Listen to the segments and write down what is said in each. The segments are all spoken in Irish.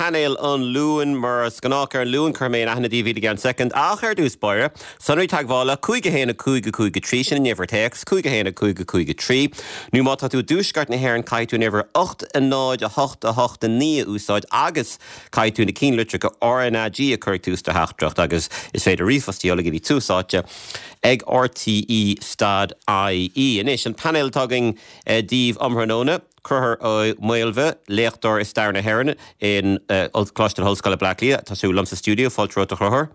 Painéal an Luain. Mar is gnách ar an Luan, cuirfidh mé in aithne daoibh iad i gceann soicind. Ach ar dtús báire, sonraí teagmhála, 5 1 5 5 3, sin an uimhir téacs, 5 1 5 5 3. Nó má tá tú i dtuaisceart na hÉireann, caithfidh tú an uimhir 8 0 8 8 9 a úsáid agus caithfidh tú na ceannlitreacha RnaG a chur ag tús do theachtaireacht agus is féidir ríomhphost a sheoladh go dtí Tús Áite ag RTÉ dot IE. Anois, an painéal atá againn daoibh um thráthnóna. Conchúr Ó Maolmhaidh, léachtóir i Stair na hÉireann in Coláiste na hOllscoile, Bleá Cliath. Tá tú liom sa stiúideo. Fáilte romhat, a Chonchúir.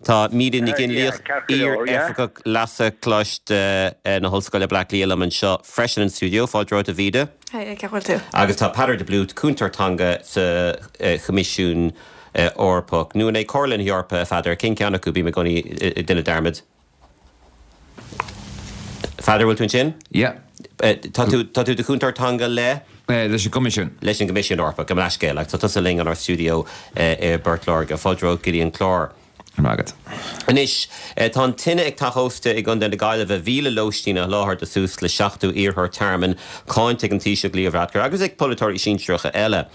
Tá Míde Nic Fhionnlaoich, iar-oifigeach leasa Coláiste na hOllscoile, Bleá Cliath, liom anseo freisin in stiúideo. Fáilte romhat, a Mhíde. Haigh, cén chaoi a bhfuil tú? Agus tá Peadar de Blúit, cúntóir teanga sa Choimisiún Eorpach. Nó an é Comhairle na hEorpa, a Pheadair? Cén ceann acu? Bím i gcónaí ag déanamh dearmad. Pheadair, bhfuil tú ansin? Yeah. Tá tú, tá tú i do chúntóir teanga le? Leis an gCoimisiún. Leis an gCoimisiún Eorpach, gabh mo leithscéal. Agus tá tusa linn inár stiúideo i bPort Láirge. Fáilte romhat go dtí an clár. Go raibh maith agat. Anois, tá an tine ag teach ósta i gContae na Gaillimhe 1,000 lóistín a sholáthar do suas le 70 iarrthóir tearmainn, cáinte ag an Taoiseach Leo Varadkar agus ag polaiteoirí sinsearacha eile.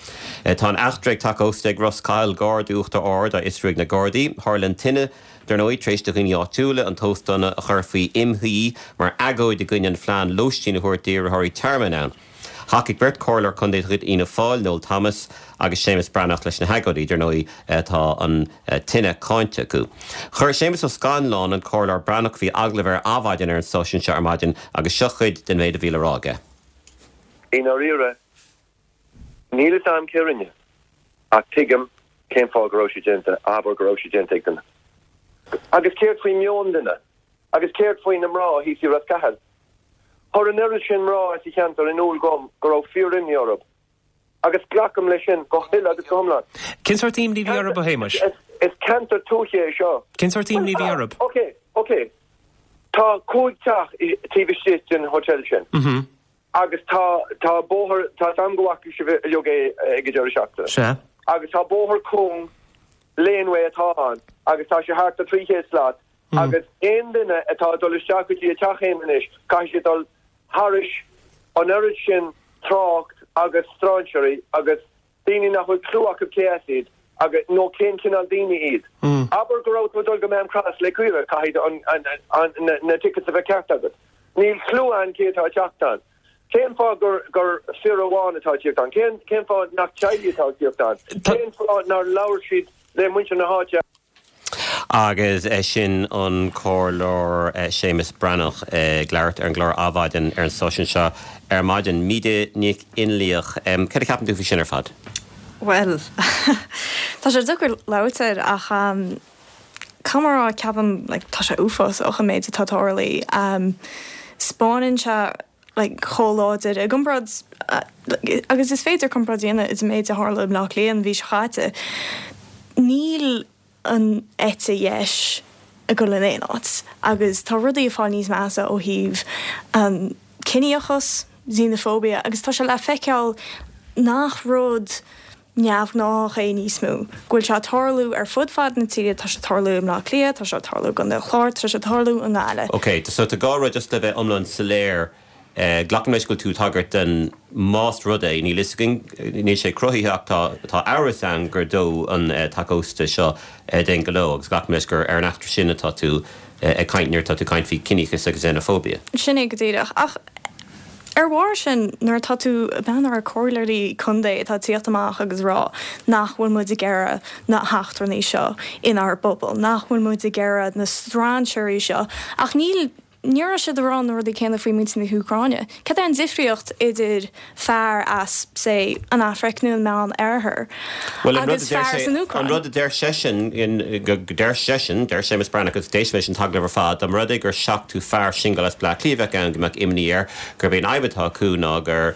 Tá an eachtra ag teach ósta ag Ros Cathail gar d'Uachtar Ard á fhiosrú ag na Gardaí. Tharla an tine Dar ndóigh, tar éis do dhaoine áitiúla an t-óstán a chur faoi imshuí mar agóid i gcoinne an phlean lóistín a thabhairt d'iarrthóirí tearmainn ann. Thacaigh beirt chomhairleoir contae de chuid Fhianna Fáil, Noel Thomas agus Séamus Breathnach leis na hagóidí. Dar ndóigh, tá an tine cáinte acu. Chuir Séamus Ó Scanláin an Comhairleoir Breathnach faoi agallamh ar Adhmhaidin ar an stáisiún seo ar maidin agus seo cuid den mhéid a bhí le rá aige. I ndáiríre, Níl fhios a'm cé rinne, ach tuigim cén fáth go raibh sé déanta, abair go raibh sé déanta ag duine. Agus céard faoi meon duine? Agus céard faoi na mná thíos i Ros Cathail? Chuir an oiread sin mná as an cheantar in iúl dhom go raibh fíor-imní orthu. Agus glacaim leis sin go huile agus go hiomlán. Cén sórt imní a bhí orthu, a Shéamais? Is ceantar tuaithe é seo. Cén sórt imní a bhí orthu? Ok, ok. Tá 5 teach taobh istigh den hotel sin. Agus tá, tá bóthar, tá 's a'm go bhfaca sibh uilig é ag an deireadh seachtaine. Sea. Agus tá bóthar cúng, laneway atá ann, agus tá sé thart ar 300 slat, agus aon duine atá ag dul isteach go dtí a teach féin anois, caithfidh siad dul thairis an oiread sin trácht agus strainséirí agus daoine nach bhfuil clue acu cé as iad agus, nó cén cineál daoine iad. Abair go raibh tú ag dul go Maam Cross le caoire, caithfidh an, an, an, na, na tickets a bheith ceart agat. Níl clue ann cé atá ag teacht ann. Cén fáth gur, gur fir amháin atá ag tíocht ann? Cén, cén fáth nach teaghlaigh atá ag tíocht ann? Cén fáth nár labhair siad le muintir na háite? Agus sin an Comhairleoir Séamus Breathnach ag labhairt ar an gclár Adhmhaidin ar an stáisiún seo ar maidin. Míde Nic Fhionnlaoich, céard a cheapann tú faoi sin ar fad? Bhuel, tá sé deacair labhairt air ach caithfidh mé a rá, ceapaim, like, tá sé uafásach an méid atá ag tarlú. 'Spáineann sé like chomh láidir i gcomparáid agus is féidir comparáid a dhéanamh idir an méid a tharla i mBleá Cliath an mhí seo chaite. Níl an eite dheis ag dul in aon áit agus tá rudaí ag fáil níos measa ó thaobh an ciníochas, xenophobia agus tá sé le feiceáil nach rud neamhghnách é níos mó, go bhfuil sé ag tarlú ar fud fad na tíre, tá sé ag tarlú i mBleá Cliath, tá sé ag tarlú i gContae an Chláir, tá sé ag tarlú i nGaillimh. Ok, so tá dhá rud just le bheith iomlán soiléir, glacaim leis go bhfuil tú ag tagairt don más rud é, níl fhios againn, níl sé cruthaithe ach tá tá amhras ann gur dódh an teach ósta seo d'aon ghnó agus glacaim leis gur ar an eachtra sin atá tú ag caint nuair atá tú ag caint faoi ciníochas agus xenophobia. Sin é go díreach. Ach ar bharr sin, nuair atá tú ag breathnú ar comhairleoirí contae atá ag tíocht amach agus rá nach bhfuil muid ag iarraidh na heachtrannaigh seo inár bpobal, nach bhfuil muid ag iarraidh na strainséirí seo, ach níl, ní raibh siad ag rá na rudaí céanna faoi muintir na hÚcráine. Cad é an difríocht idir fear as, say, an Afraic nó an Meán Oirthear Bhuel, an rud a agus deir fear as sé, an an Úcráin? rud a deir seisean, go deir seisean, deir Séamus Breathnach, agus d'éist mé leis an t-agallamh ar fad, dá mba rud é gur 70 fear singil as Bleá Cliath a bheadh ann go mbeadh imní air, gurb é an fhadhb atá acu ná gur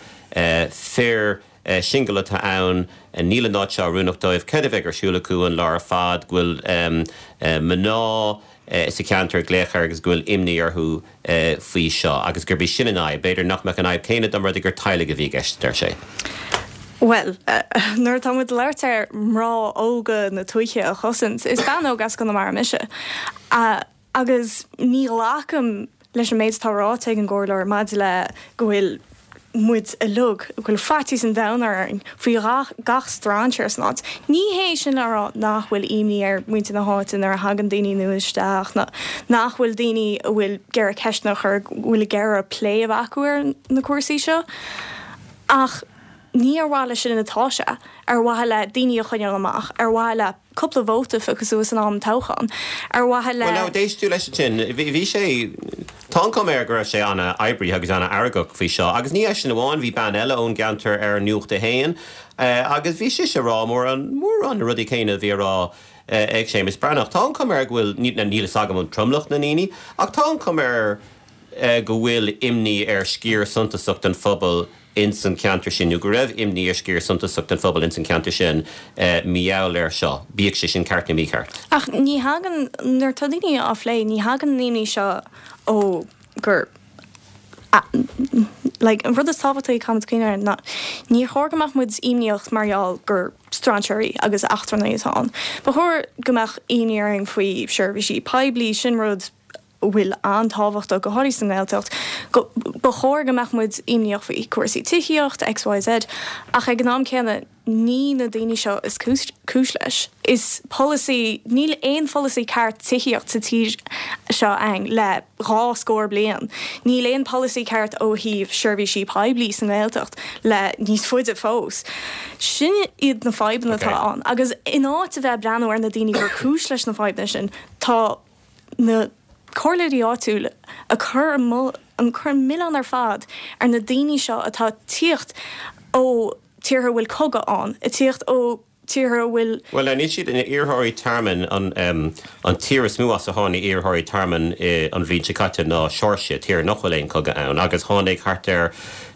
fir singil atá ann, níl an áit seo oiriúnach dóibh, céard a bheidh ar siúl acu an lá ar fad, go bhfuil mná sa cheantar ag glaoch air agus go bhfuil imní orthu faoi seo agus gurb í sin an fhadhb. B'fhéidir nach mbeadh an fhadhb céanna dá mba rud é gur teaghlaigh a bhí i gceist, a deir sé. Bhuel, nuair atá muid ag labhairt ar mná óga na tuaithe a chosaint, is bean óg as Conamara mise agus ní ghlacaim leis an méid atá ráite ag an gcomhairleoir maidir le go bhfuil. muid uilig, go bhfuil faitíos an domhain orainn faoi gach strainséir san áit. Ní hé sin le rá nach bhfuil imní ar mhuintir na háite nuair a thagann daoine nua isteach, nó nach bhfuil daoine a bhfuil ag iarraidh ceisteanna a chur, go bhfuil ag iarraidh plé a bheith acu ar na cúrsaí seo. Ach ní ar mhaithe leis sin atá sé, ar mhaithe le daoine a choinneáil amach, ar mhaithe le. cúpla vóta a phiocadh suas in am toghcháin, ar mhaithe le. Bhuel, now, d'éist tú leis ansin. Bhí sé, tá an chuma air go raibh sé an-oibrithe agus an-fheargach faoi seo. Agus ní eisean amháin, bhí bean eile ón gceantar ar Nuacht a hAon agus bhí sise ag rá mórán, mórán na rudaí céanna a bhí á rá ag Séamus Breathnach. Tá an chuma air go bhfuil, níl a fhios agam an tromlach na ndaoine, ach tá an chuma air go bhfuil imní ar sciar suntasach den phobal ins an cheantar sin, nó go raibh imní ar sciar suntasach den phobal ins an cheantar sin mar gheall air seo, bíodh sé sin ceart nó mícheart. Ach ní thagann, nuair atá daoine á phlé, ní thagann an imní seo ó gur, like, an rud is tábhachtaí a caithfimid cuimhneamh air ná níor chóir go mbeadh muid imníoch mar gheall gur strainséirí agus eachtrannaigh atá ann. Ba chóir go mbeadh imní orainn faoi seirbhísí poiblí, sin rud a bhfuil an-tábhachtach, go háirithe sa nGaeltacht, go, ba chóir go mbeadh muid imníoch faoi cúrsaí tithíocht, XYZ, ach ag an am céanna, ní na daoine seo is cúis, cúis leis. Is polasaí, níl aon pholasaí ceart tithíocht sa tír seo againn le 2 scór bliain. Níl aon polasaí ceart ó thaobh seirbhísí poiblí sa nGaeltacht le níos faide fós. Sin iad na fadhbanna atá ann agus in áit a bheith ag breathnú ar na daoine gur cúis leis na fadhbanna sin, tá na comhairleoirí áitiúil ag cur an cur an milleán ar fad ar na daoine seo atá ag tíocht ó tíortha a bhfuil cogadh ann, ag tíocht ó tíortha a bhfuil. Bhuel, níl siad ina iarrthóirí tearmainn, an tír is mó as a tháinig iarrthóirí tearmainn an bhliain seo caite ná Seoirsia, tír nach bhfuil aon chogadh ann, agus tháinig thart ar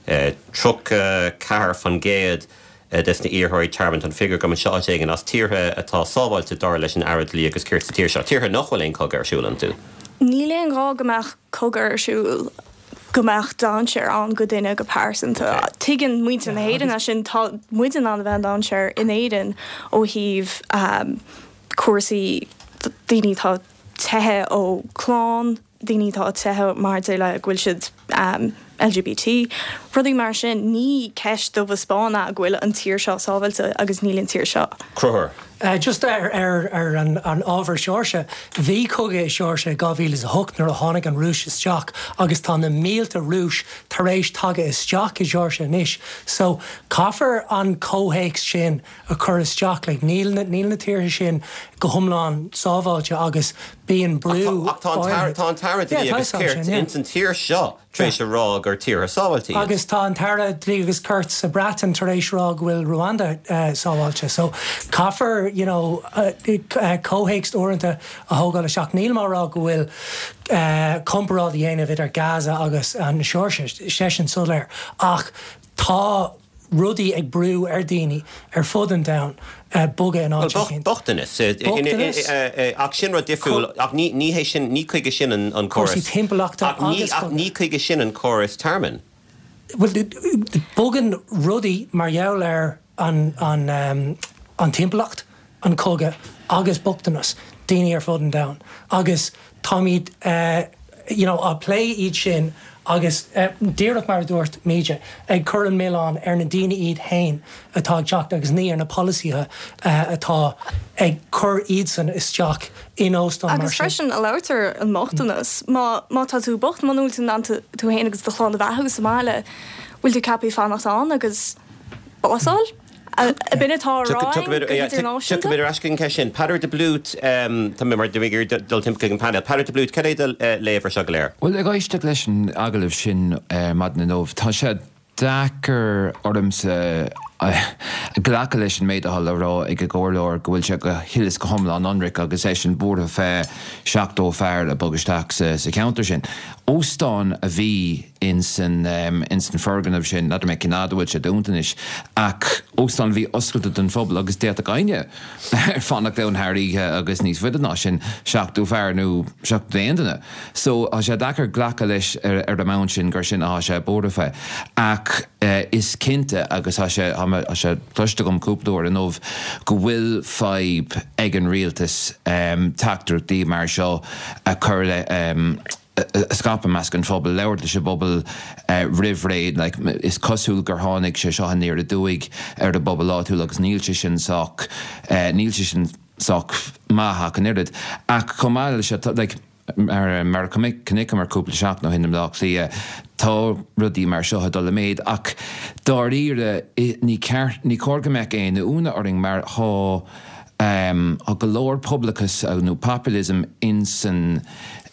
34% des na iarrthóirí tearmainn, tá an figiúr agam anseo áit éigin, as tíortha atá sábháilte dar leis an Aire Dlí agus Cirt sa tír seo, tíortha nach bhfuil aon chogadh ar siúl iontu. Níl aon ghá go mbeadh cogadh ar siúl go mbeadh dainséar ann go duine go pearsanta. Tuigeann muintir na hÉireann é sin, tá muid in ann a bheith in dainséar in Éirinn ó thaobh cúrsaí daoine atá teitheadh ó clann, daoine atá ag teitheadh maidir le go bhfuil siad LGBT, rudaí mar sin. Ní ceist dubh is bán é go bhfuil an tír seo sábháilte agus níl an tír seo. Conchúr. Just ar ar an ábhar Seoirsia, bhí cogadh i Seoirsia i 2008 nuair a tháinig an Rúis isteach agus tá na mílte Rúis tar éis tagadh isteach i Seoirsia anois so caithfear an comhthéacs sin a chur isteach. Like níl na níl na tíortha sin go hiomlán sábháilte agus bíonn brú Ach tá an tá an tAire Dlí agus Cirt ins an tír seo tar éis a rá gur tíortha sábháilte iad. Agus tá an tAire Dlí agus Cirt sa Bhreatain tar éis rá go bhfuil Rwanda sábháilte. So caithfear you know comhthéacs uaireanta a thógáil isteach. Nílim á rá go bhfuil comparáid a dhéanamh idir Gaza agus an Seoirsia, sé sin soiléir. Ach tá rudaí ag brú ar dhaoine ar fud an domhain bogadh in áit éicint. Bochtanas. Bochtanas. Ach sin rud difriúil. Ach ní hé sin, ní chuige sin an córas. Cúrsaí timpeallachta agus. Ach ní chuige sin an córas tearmainn. Bhuel, bogann rudaí mar gheall ar an timpeallacht. an cogadh agus bochtanas daoine ar fud an domhain agus táimid you know á plé iad sin agus díreach mar a dúirt Míde, ag cur an milleán ar na daoine iad féin atá ag teacht agus ní ar na polasaithe atá ag cur iadsan isteach in óstán mar sin. Agus freisin, a labhairt ar an mbochtanas, má má tá tú bocht, muna bhfuil tú in ann tú féin agus do chlann a bheathú sa mbaile, bhfuil tú ceaptha fanacht ann agus bás a fháil? Ab in atá á rá againn go hidirnáisiúnta? Tiocfaimid ar ais chuig an cheist sin. Peadar de Blút, tá mé mar ag iarraidh dul timpeall chuig an painéal. Peadar de Blút, cad é do léamh ar seo go léir? Bhuel, ag éisteacht leis an agallamh sin ar maidin inniu, tá sé deacair ormsa glacadh leis an méid atá le rá ag an gcomhairleoir go bhfuil sé go huile is go hiomlán ionraic agus eisean buartha fé 70 fear a bhog isteach sa cheantar sin. Óstán a bhí ins an ins an foirgneamh sin, n'fheadar mé cén fhad a bhfuil sé dúnta anois, ach óstán a bhí oscailte don phobal agus d'fhéadfadh éinne fanacht ann thar oíche agus níos faide ná sin, 70 fear nó 71 duine. So tá sé deacair glacadh leis ar an mbonn sin gur sin atá sé buartha fé. Ach is cinnte, agus tá sé tá sé cloiste agam cúpla uair inniu, go bhfuil fadhb ag an rialtas teachtaireachtaí mar seo a chur le. A scaipeadh i measc an phobail, labhairt leis an bpobal roimh ré. Like, is cosúil gur tháinig sé seo aniar aduaidh ar an bpobal áitiúil agus níl sé sin sách, níl sé sin sách maith ach an oiread. Ach chomh maith leis seo, like, mar, mar a chonaiceamar cúpla seachtain ó shin i mBleá Cliath, tá rudaí mar seo ag dul i méid. Ach dáiríre, ní ceart, ní cóir go mbeadh aon ionadh orainn mar tá, Tá go leor pobalachas nó populism insan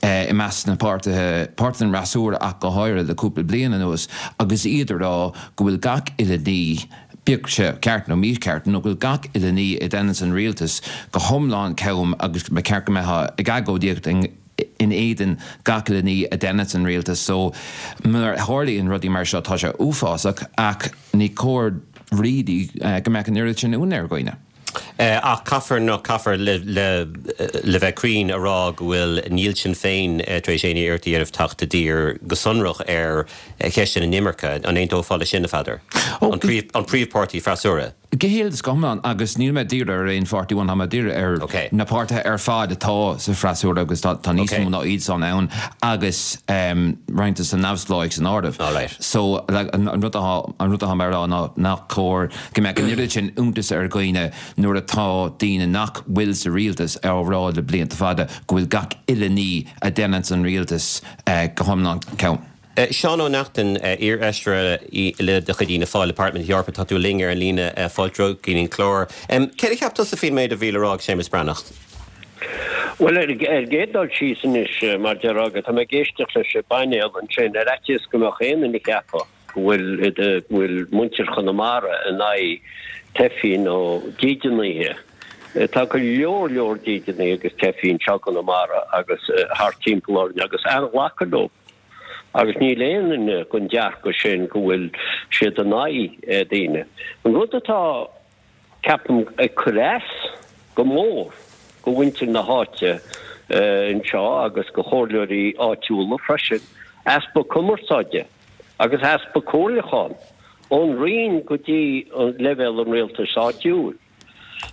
i measc na páirtithe, páirtithe an fhreasúra ach go háirithe le cúpla bliain anuas agus iad ag rá go bhfuil gach uile ní, bíodh sé ceart nó mícheart, nó go bhfuil gach uile ní a deineanns an rialtas go hiomlán cam agus ba cheart go mbeifeá ag agóidíocht in éadan gach uile ní a deineanns an rialtas. So nuair a tharlaíonn rudaí mar seo tá sé uafásach ach ní cóir really go mbeadh an oiread sin ionadh ar dhaoine. Ach caithfear, nó caithfear le bheith cruinn, a rá go bhfuil, níl Sinn Féin tar éis aon iarracht a dhéanamh teacht i dtír go sonrach ar cheist na hinimirce. An aontófá leis sin, a Pheadair? An príomhpháirtí freasúra? Go huile is go hiomlán, agus níl mé ag díriú ar aon pháirtí amháin, tá mé ag díriú ar na páirtithe ar fad atá sa bhfreasúra agus tá níos mó ná iad san ann agus roinnt de na neamhspleáigh san áireamh. So, an rud atá mé a rá ná nach cóir go mbeadh an oiread sin iontais ar dhaoine nuair atá daoine nach bhfuil sa rialtas á rá le blianta fada go bhfuil gach uile ní a deineanns an rialtas go hiomlán cam. Seán Ó Neachtain, iar-fheisire eile de chuid Fhianna Fáil i bParlaimint na hEorpa, tá tú linn ar an líne, fáilte romhat go dtí an clár. Céard a cheap tusa faoin méid a bhí le rá ag Séamus Breathnach? Bhuel, ar an gcéad dul síos anois, mar a déarfá, tá mé ag éisteacht leis an bpainéal ansin, ar fhaitíos go mbeadh aon duine ag ceapadh go bhfuil, go bhfuil muintir Chonamara in aghaidh teifigh nó dídeanaithe. Tá go leor leor dídeanaithe agus teifigh anseo i gConamara agus thart timpeall orainn agus an-ghlacadh leo. Agus níl aon duine den dearcadh sin go bhfuil siad in aghaidh daoine. An rud atá. ceapaim, ag cur as go mór go mhuintir na háite anseo agus go chomhairleoirí áitiúla freisin, easpa cumarsáide agus easpa comhairliúchán ón Roinn go dtí leibhéal an rialtais áitiúil.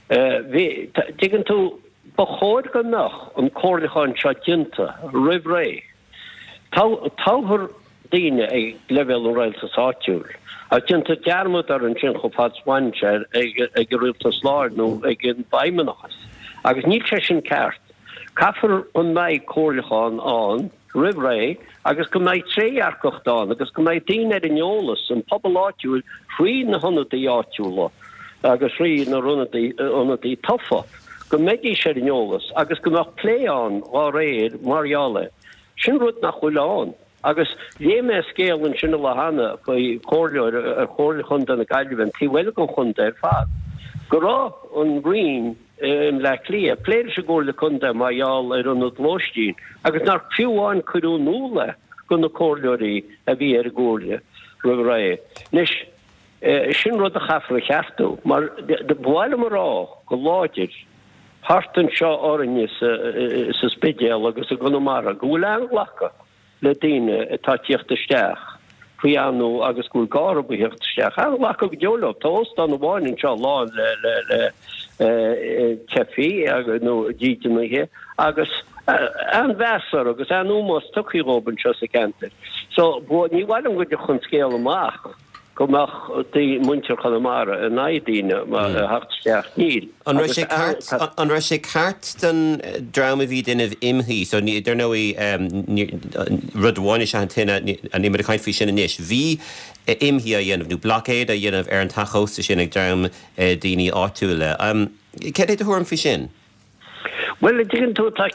Bhí, dtuigeann tú, ba chóir go mbeadh an comhairliúchán seo déanta roimh ré. Toghtar daoine ag leibhéal an rialtais áitiúil ach déantar dearmad orthu ansin chomh fada is a bhaineann sé ag an rialtas láir nó ag an bhfeidhmeannachas. Agus níl sé sin ceart. Caithfear go mbeidh comhairliúchán ann roimh ré agus go mbeidh trédhearcacht ann agus go mbeidh daoine ar an eolas, an pobal áitiúil thrí na hionadaithe áitiúla agus thrí na ionadaithe tofa. go mbeidís ar an eolas agus go mbeadh plé ann dhá réir mar gheall air. Sin rud nach bhfuil ann. Agus léigh mé scéal ansin an lá cheana faoi chomhairleoir ar Chomhairle Chontae na Gaillimhe, an taobh eile den chontae ar fad, go raibh an Roinn i mBleá Cliath ag plé leis an gComhairle Contae mar gheall ar ionad lóistín agus nár fiú amháin cuireadh in iúl é do na comhairleoirí a bhí ar an gcomhairle roimh ré. Anois, Sin rud a chaithfear a cheartú, mar ba mhaith liom a rá go láidir, thart anseo orainne sa Spidéal agus i gConamara, go bhfuil an-ghlacadh le daoine atá ag tíocht isteach faoi anú agus go bhfuil gá orthu a thíocht isteach. An-ghlacadh go deo leo. Tá óstán amháin anseo lán le teifigh nó dídeanaithe agus an-mheas orthu agus an-ómós tugtha dhóibh anseo sa cheantar. So, ní mhaith liom go dtiocfadh an scéal amach. go mbeadh muintir Chonamara in aghaidh daoine a theacht isteach. Níl. An raibh sé ceart, an raibh sé ceart don dream a bhí ag déanamh imshuí, so ní, dar ndóigh, rud amháin is ea an tine, níl muid ag caint faoi sin anois, bhí imshuí á dhéanamh nó blockade á dhéanamh ar an teach ósta sin ag dream daoine áitiúla. Céard é do thuairim faoi sin? Bhuel, an dtuigeann tú, tá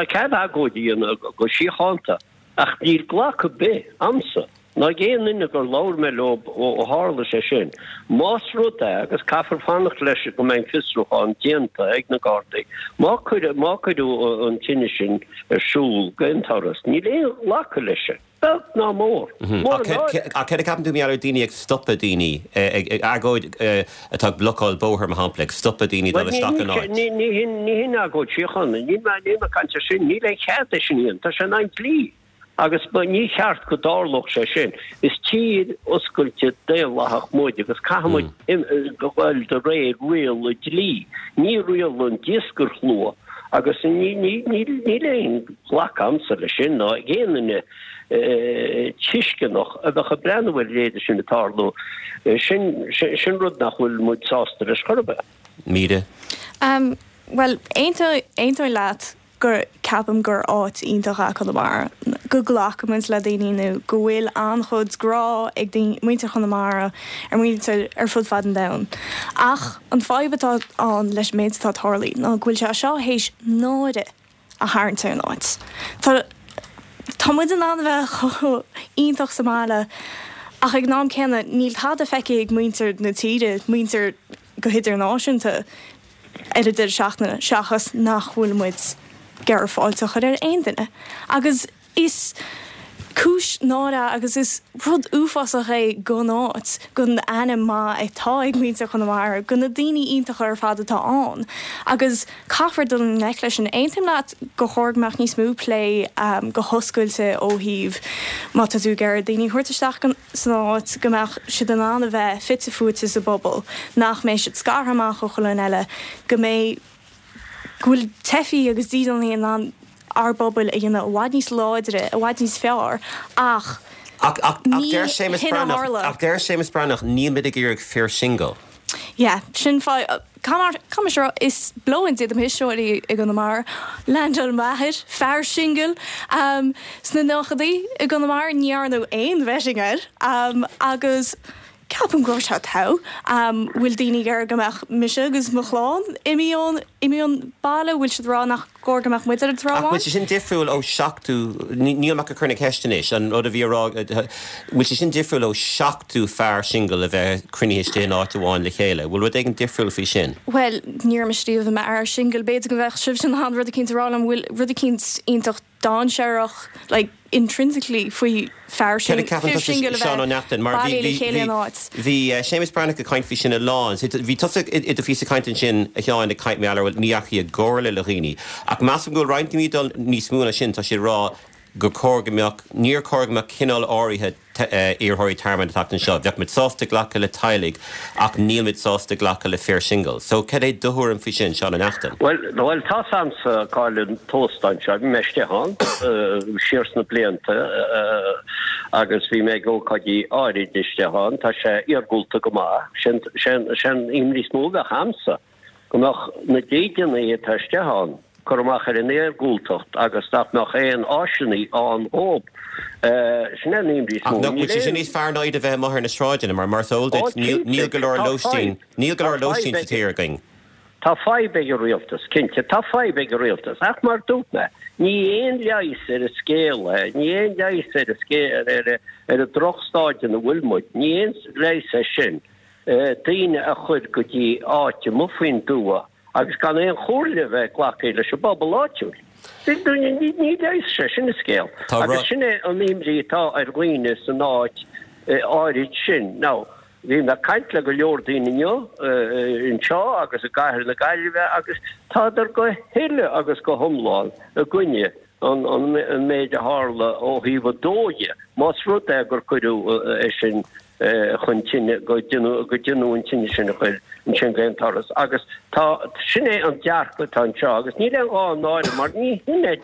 cead agóid a dhéanamh go síochánta ach níl glacadh ar bith a'msa ná ag aon duine gur labhair mé leo ó tharla sé sin. Más rud é, agus caithfear fanacht leis go mbeidh an fiosrúchán déanta ag na Gardaí, má cuireadh, má cuireadh an tine sin ar siúl d'aon turas, níl aon ghlacadh leis sin, beag ná mór. Mór an náire. Ach céard a cheapann tú mar gheall ar daoine ag stopadh daoine, ag agóid atá ag blocáil bóthair, mar shampla, ag stopadh daoine dul isteach in áit? Ní hin, ní hin agóid síochána. Níl mé, níl mé ag caint ar sin. Níl aon chead é sin a dhéanamh. Tá sé in aghaidh an dlí. Agus ní cheart go dtarlódh sé sin. Is tír oscailte daonlathach muid agus caithfidh muid dul de réir riail an dlí, ní riail an daoscarshlua. Agus níl aon ghlacadh a'msa leis sin ná ag aon duine tuisceanach a bheadh ag breathnú ar a leithéide sin ag tarlú. Sin sin rud nach bhfuil muid sásta leis chor ar bith. Míde. Bhuel, aontaím leat gur ceapaim gur áit iontach é Conamara, go nglacaimid le daoine nó go bhfuil an-chuid grá ag muintir Chonamara ar mhuintir ar fud fad an domhain. Ach an fadhb atá ann leis an méid atá tarlaithe ná go bhfuil sé seo théis náire a tharraingt ar an áit. Tá tá muid in ann a bheith chomh iontach sa mbaile ach ag an am céanna níl tada feicthe ag muintir na tíre, muintir go hidirnáisiúnta ar an deireadh seachtaine seachas nach bhfuil muid ag iarraidh fáilte a chur ar aon duine. Agus is cúis náire agus is rud uafásach é don áit, don ainm maith atá ag muintir Chonamara, do na daoine iontacha ar fad atá ann. Agus caithfear dul i ngleic leis sin. Aontaím leat gur chóir go mbeadh níos mó plé go hoscailte ó thaobh má tá tú ag iarraidh daoine a thabhairt isteach san áit, go mbeadh siad in ann a bheith fite fuaite sa bpobal, nach mbeidh siad scartha amach ó chuile dhuine eile, go mbeidh, go bhfuil teifigh agus dídeanaithe in ann ár bpobail a dhéanamh i bhfad níos láidre, i bhfad níos fearr ach Ach, ach, ach ní deir Séamus hin a Breathnach, tharla. ach deir Séamus Breathnach, níl muid ag iarraidh fir singil. Yeah, sin fadhb. Caithfidh mise a rá, is blóin iad mo thuismitheoirí i gConamara. Leaindeáil m'athair, fear singil, sna nóchaidí i gConamara, ní dhearnadh aon vetting air agus Ceapaim go raibh sé togha. Bhfuil daoine ag iarraidh go mbeadh mise agus mo chlann imithe ón, imithe ón baile? Bhfuil siad ag rá nach gcóir go mbeadh muid ar an trá Ach bhfuil amháin? sé sin difriúil ó seachtú, níl mé ach ag cur na ceiste anois, an rud a bhí á rá, bhfuil sé sin difriúil ó seachtú fear singil a bheith cruinnithe istigh in áit amháin le chéile? Bhfuil rud éigin difriúil faoi sin? Bhuel, ní raibh mise riamh i m'fhear singil, b'fhéidir go mbeadh sibhse in ann rud eicínt a rá liom, bhfuil rud eicínt iontach dainséarach, like, intrinsically faoi fear Céard a ceapann fir tusa, singil a Seán Ó bheith Neachtain, mar bhí, bailithe le bhí, chéile bhí, in áit. bhí Séamus Breathnach ag caint faoi sin a lán. So, bhí tusa i do phíosa cainte ansin, a Sheáin, ag caint mar gheall ar, bhuel, ní dheachaigh i gcomhairle le dhaoine. Ach measaim go bhfuil roinnt daoine ag dul níos mó ná sin, tá siad ag rá gur chóir go mbeadh, níor chóir go mbeadh cineál áirithe iarrthóirí tearmainn ag teacht anseo. Bheadh muid sásta glacadh le teaghlaigh ach níl muid sásta glacadh le fir singil. So, cad é do thuairim faoi sin, Seán Ó Neachtain? Bhuel, bhuel, tá's a'msa cá'il an t-óstán seo. Bhí mé istigh ann siar sna blianta agus bhí mé ag ócáidí áirid istigh ann. Tá sé iargúlta go maith. Sé'n, sé'n, sé'n imní is mó a bheadh a'msa go mbeadh na dídeanaithe atá istigh ann, cur amach ar an iargúltacht agus nach mbeadh aon áiseanna ann dhób. Sin é an imní is Ach mó. nach bhfuil Níl sé sin aon. níos fearr ná iad a bheith amuigh ar na sráideanna mar mar is eol Ó, duit níl cinnte, níl go leor tá lóistín fadhb. níl go Tá leor lóistín fadhb sa ag. tír againn. Tá fadhb ag an rialtas, cinnte, tá fadhb ag an rialtas, ach mar dúirt mé, ní aon leigheas ar an scéal é, ní aon leigheas ar an scéal, ar ar an drochstaid ina bhfuil muid, ní aon leigheas é sin daoine a chur go dtí áit amuigh faoin dtuath agus gan aon chomhairle a bheith glactha leis an bpobal áitiúil. Ní leigheas sé sin an scéal. Agus sin é an imní atá ar dhaoine san áit áirid sin. Now, bhí mé ag caint le go leor daoine inniu anseo agus i gcathair na Gaillimhe agus tádar go huile agus go hiomlán i gcoinne an méid a tharla ó thaobh an dó dhe, más rud é gur cuireadh é sin chun tine, go deineadh an tine sin a chur ansin d'aon turas. Agus tá, sin é an dearcadh atá anseo agus níl aon ghá náire mar ní hin é,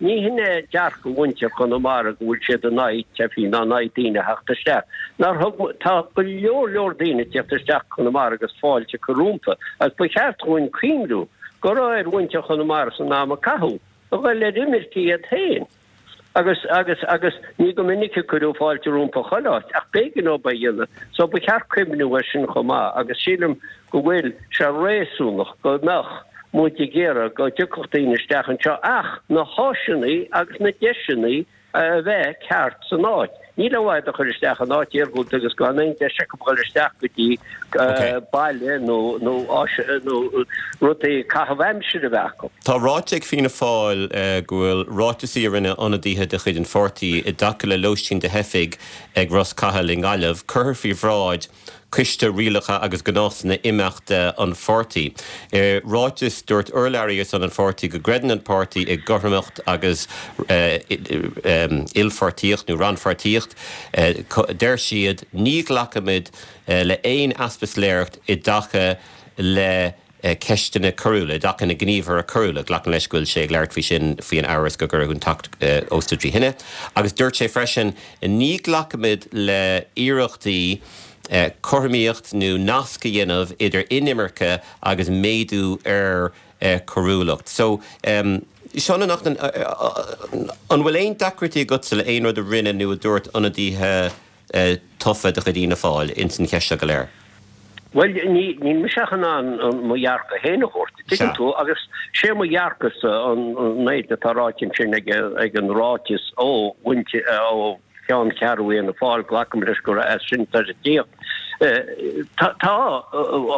ní hin é dearcadh mhuintir Chonamara go bhfuil siad in aghaidh teifigh ná in aghaidh daoine a theacht isteach. Nár thug, tá go leor leor daoine ag tíocht isteach Conamara agus fáilte curtha rompu agus ba cheart dhúinn cuimhniú go raibh ar mhuintir Chonamara san am a caitheadh a dhul ar imirce iad féin. Agus, agus, agus ní go minic a cuireadh fáilte rompu chuile áit, ach b'éigean dóibh é a dhéanamh. So ba cheart cuimhniú air sin chomh maith agus sílim go bhfuil sé réasúnach go mbeadh muid ag iarraidh go dtiocfadh daoine isteach anseo ach na háiseanna agus na deiseanna a bheith ceart san áit. Níl aon mhaith iad a chur isteach in áit iargúlta agus gan aon deis acu dhul isteach go dtí baile nó nó áis nó rudaí caitheamh aimsire a bheith acu. Tá ráite ag Fianna Fáil go bhfuil ráiteasaí a rinne ionadaithe de chuid an pháirtí i dtaca le lóistín do theifigh ag Ros Cathail i nGaillimh curtha faoi bhráid Coiste Rialacha agus Gnásanna Imeachta an pháirtí. I ráiteas, dúirt urlabhraí ar son an pháirtí go gcreideann an páirtí i gcothromacht agus ilpháirtíocht nó rannpháirtíocht. Deir siad, Ní ghlacfaimid le haon easpa soiléireacht i dtaca le. Ceisteanna coiriúla, i dtaca na gníomhartha coiriúla. Glacaim leis go bhfuil sé ag labhairt faoi sin, faoi an amhras go gcuireadh an tAcht Ósta trí thine. Agus dúirt sé freisin, Ní ghlacfaimid le iarrachtaí cothromaíocht nó nasc a dhéanamh idir inimirce agus méadú ar choiriúlacht. So, Seán Ó Neachtain, an bhfuil aon deacrachtaí agatsa le aon rud a rinne nó a dúirt ionadaithe tofa de chuid Fhianna Fáil ins an cheist seo go léir? Bhuel, níl mise ach in ann mo dhearcadh féin a thabhairt, tuigeann tú, agus sé mo dhearcadhsa an méid atá ráite ansin ag an ráiteas ó mhuintir, ó cheanncheathrú Fhianna Fáil, glacaim leis gur as sin atá sé ag tíocht. Tá,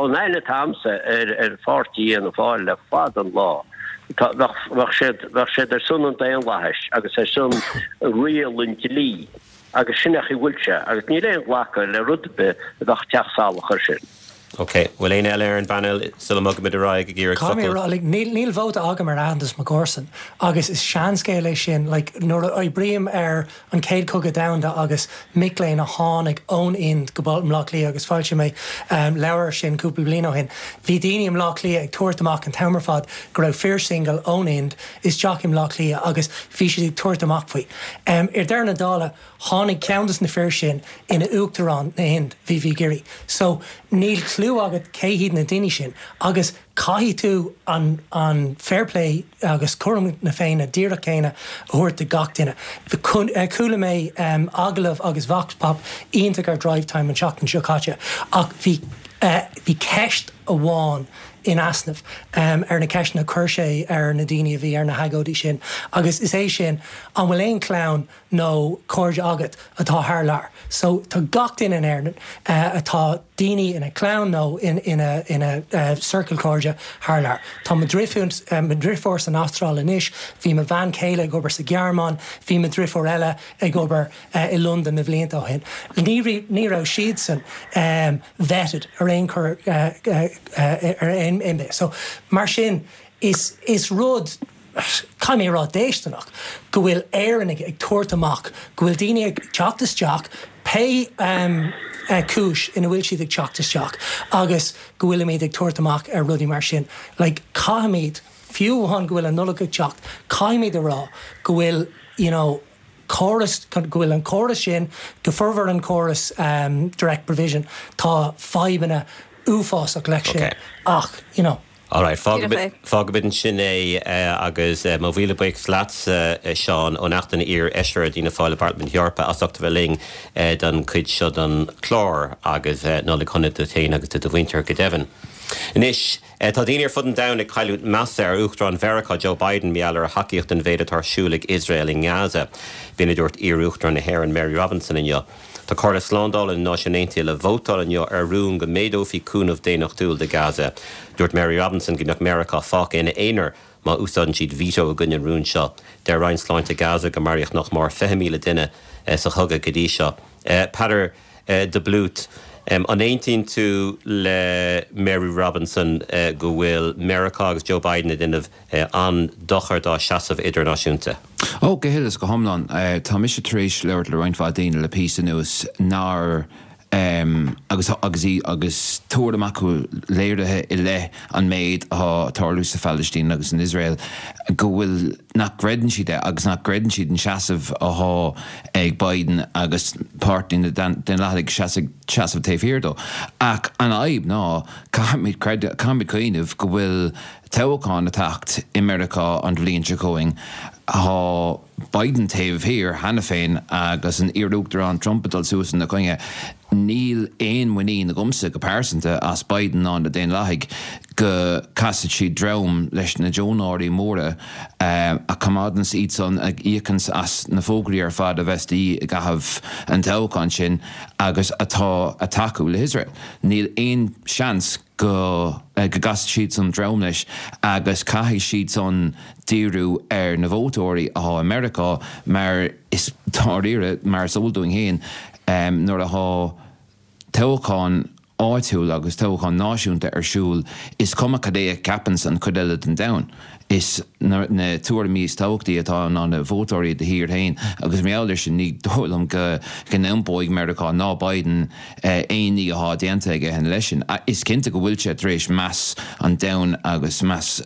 an aithne atá a'msa ar pháirtí Fhianna Fáil le fada an lá, tá, bheadh siad, bheadh siad ar son an daonlathais agus ar son riail an dlí. Agus sin é an chaoi a bhfuil sé, agus níl aon ghlacadh le rud ar bith a bheadh ag teacht salach air sin. Ok. Bhfuil éinne eile ar an bpainéal sula mbogaimid ar aghaidh ag iarraidh Caithfidh mé a focal? rá, like, níl, níl vóta agam ar aitheantas mo chomharsan agus is seanscéal é sin. Like, nuair a oibrím ar an Chéad Chogadh Domhanda agus mic léinn a tháinig ón Ind go Baile Átha Cliath agus foilsigh mé leabhar air sin cúpla bliain ó shin, bhí daoine i mBleá Cliath ag tabhairt amach an t-am ar fad go raibh fir single ón Ind isteach i mBleá Cliath agus bhí siad ag tabhairt amach faoi. Ar deireadh na dála, tháinig ceann des na fir sin ina Uachtarán na hInd, V.V. Giri. So, níl clue agat cé hiad na daoine sin agus caithfidh tú an an fair play agus cothrom na Féinne díreach céanna a thabhairt do gach duine. Chuala mé agallamh agus vox pop iontach ar Drivetime an tseachtain seo caite ach bhí bhí ceist amháin in easnamh ar na ceisteanna a chuir sé ar na daoine a bhí ar na hagóidí sin agus is é sin, an bhfuil aon chlann nó cairde agat atá thar lear? So tá gach duine in Éirinn atá daoine ina clann nó ina ina ciorcal cairde thar lear. Tá mo dhrifiúr mo dhrifiúr san Astráil anois, bhí mo bhean chéile ag obair sa Ghearmáin, bhí mo dhrifiúr eile ag obair i Londain na bhlianta ó shin. Ní ní raibh siadsan vetted ar aon chor ar aon bith. So mar sin is is rud caithfidh mé a rá déisteanach go bhfuil Éireannaigh ag tabhairt amach go bhfuil daoine ag teacht isteach pé cúis ina bhfuil siad ag teacht isteach agus go bhfuilimid ag tabhairt amach ar rudaí mar sin. Like caithfimid fiú amháin go bhfuil an Nollaig ag teacht caithfimid a rá go bhfuil you know córas, go bhfuil an córas sin, go formhór an córas direct provision, tá fadhbanna uafásach leis sin ach, you know. Alright, fágfaimid ansin é agus mo mhíle buíochas leatsa, Seán Ó Neachtain, iar-fheisire d'Fhianna Fáil i bParlaimint na hEorpa, as ucht a bheith linn don chuid seo den chlár agus Nollaig shona duit féin agus do do mhuintir go deimhin. Anois. Tá daoine ar fud an domhain ag cailliúint measa ar Uachtarán Mheiriceá Joe Biden mar gheall ar a thacaíocht don mhéid atá ar siúl ag Iosrael i nGaza. B'in a dúirt iar-Uachtarán na hÉireann Mary Robinson inniu. Tá Comhairle Slándála na Náisiún Aontaithe le vótáil inniu ar rún go méadófaí cúnamh daonnachtúil do Gaza. Dúirt Mary Robinson go mbeadh Meiriceá fágtha ina aonar má úsáideann siad veto i gcoinne an rúin seo. Deir Roinn Sláinte Gaza go maraíodh nach mór 20,000 duine sa chogadh go dtí seo. Peadar. de Blút, An aontaíonn tú le Mary Robinson go bhfuil Meiriceá agus Joe Biden ag déanamh an-dochar dá seasamh idirnáisiúnta? Ó, go huile is go hiomlán. Tá mise tar éis labhairt le roinnt mhaith daoine le píosa anuas nár agus agus í agus tuairim acu léirithe i leith an méid atá ag tarlú sa Phalaistín agus in Iosrael go bhfuil nach gcreideann siad é agus nach gcreideann siad an seasamh athá ag Biden agus Páirtí na Daonlathaigh seasamh taobh thiar dó. Ach an fhadhb ná caithfimid caithfimid cuimhneamh go bhfuil toghchán ag teacht i Meiriceá an bhliain seo chugainn. Tá Biden taobh thiar cheana féin agus an iar-Uachtarán Trump ag dul suas ina choinne. Níl aon mhuinín agamsa go pearsanta as Biden ná na Daonlathaigh go casfaidh siad droim leis na deonóirí móra a choimeádanns iad san, a íocanns as na fógraí ar fad a bheas de dhíth i gcaitheamh an toghcháin sin agus atá ag tacú le hIosrael. Níl aon seans go gcasfaidh siad san droim leis agus caithfidh siad san díriú ar na vótóirí athá i Meiriceá mar is dáiríre, mar is eol dúinn féin, nuair athá toghchán. áitiúil agus toghchán náisiúnta ar siúl, is cuma cad é a cheapanns an chuid eile den domhan. Is na tuairimí is tábhachtaí atá ná na vótóirí i do thír féin agus mar gheall air sin ní dóigh liom go n-iompóidh Meiriceá ná Biden aon ní atá déanta aige ina leith sin. Is cinnte go bhfuil sé tar éis meas an domhain agus meas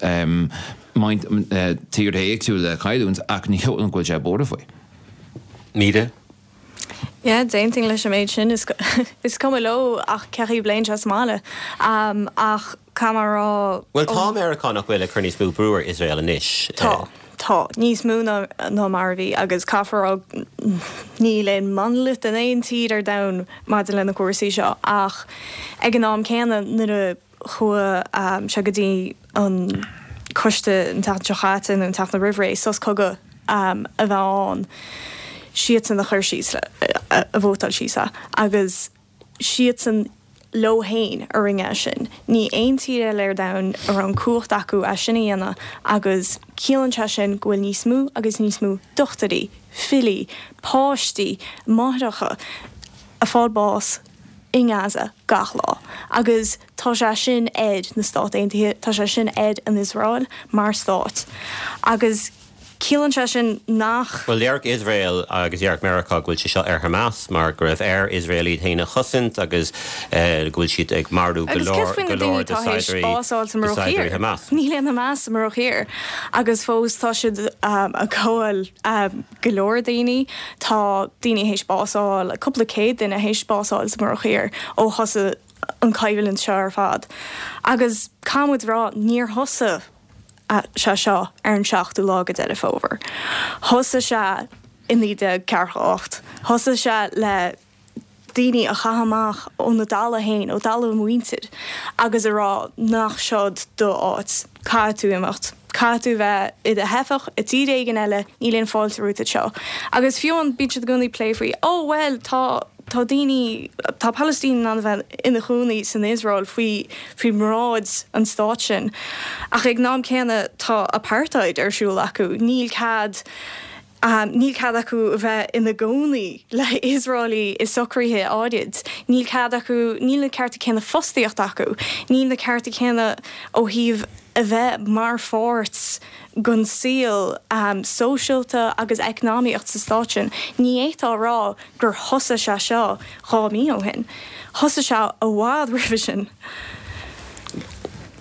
tíortha éagsúla a chailliúint ach ní dóigh liom go bhfuil sé buartha faoi. Míde. Yeah, d'aontaím leis an méid sin. Is cuma leo ach cén chaoi a bpléann sé sa mbaile. Ach caithfidh mé a rá. Bhuel, tá Meiriceá nach bhfuil ag cur níos mó brú ar Iosrael anois. Tá. Tá. Níos mó ná mar a bhí agus caithfear a rá níl aon monalit in aon tír ar domhan maidir le na cúrsaí seo ach ag an am céanna nuair a chuaigh sé go dtí an coiste an tseachtain seo chaite nó an tseachtain roimh ré, sos cogaidh a bheith ann, siadsan a chuir síos le, a vótáil síos é agus siadsan leo féin a rinne é sin. Ní aon tír eile ar domhan a raibh an cumhacht acu é sin a dhéanamh agus ciallaíonn sé sin go bhfuil níos mó agus níos mó dochtúirí, filí, páistí, máithreacha ag fáil bás i nGaza gach lá agus tá sé sin ar na Stáit Aontaithe, tá sé sin ar an Iosrael mar stát agus ciallaíonn sé sin nach. Bhuel, déarfadh Iosrael agus déarfadh Meiriceá go bhfuil sé seo ar Hamas mar go raibh ar Iosrael iad féin a chosaint agus go bhfuil siad ag marú go Agus leor céard faoi go na daoine leor de atá théis saighdiúirí bás a fháil sa de mBruach saighdiúirí Thiar? Hamas. Níl aon Hamas sa mBruach Thiar agus fós tá siad ag gabháil go leor daoine. Tá daoine théis bás a fháil, cúpla céad duine théis bás a fháil sa mBruach Thiar ó thosaigh an choimhlint seo ar fad. Agus caithfidh muid a rá, níor thosaigh sé seo ar an seachtú lá de Deireadh Fómhair. Thosaigh sé i 1948. Thosaigh sé le daoine a chaitheamh amach óna dtalamh féin, ó thalamh a muintir, agus a rá nach seod do áit, caithfidh tú imeacht, caithfidh tú bheith i do theifeach i dtír éigin eile, níl aon fáilte romhat anseo. Agus fiú amháin bíonn siad i gcónaí ag plé faoi, oh bhuel tá, tá daoine, tá Palaistínigh in ann a bheith ina chónaí san Iosrael faoi, faoi bhráid an stáit sin. Ach ag an am céanna tá apartheid ar siúl acu, níl cead, Níl cead acu a bheith ina gcónaí le hIosraelaigh i socruithe áirid. Níl cead acu, níl na cearta céanna fostaíochta acu. Níl na cearta céanna ó thaobh a bheith mar pháirt den saol sóisialta agus eacnamaíocht sa stát sin. Ní fhéadfá a rá gur thosaigh sé seo 2 mí ó shin. Thosaigh sé i bhfad roimhe sin.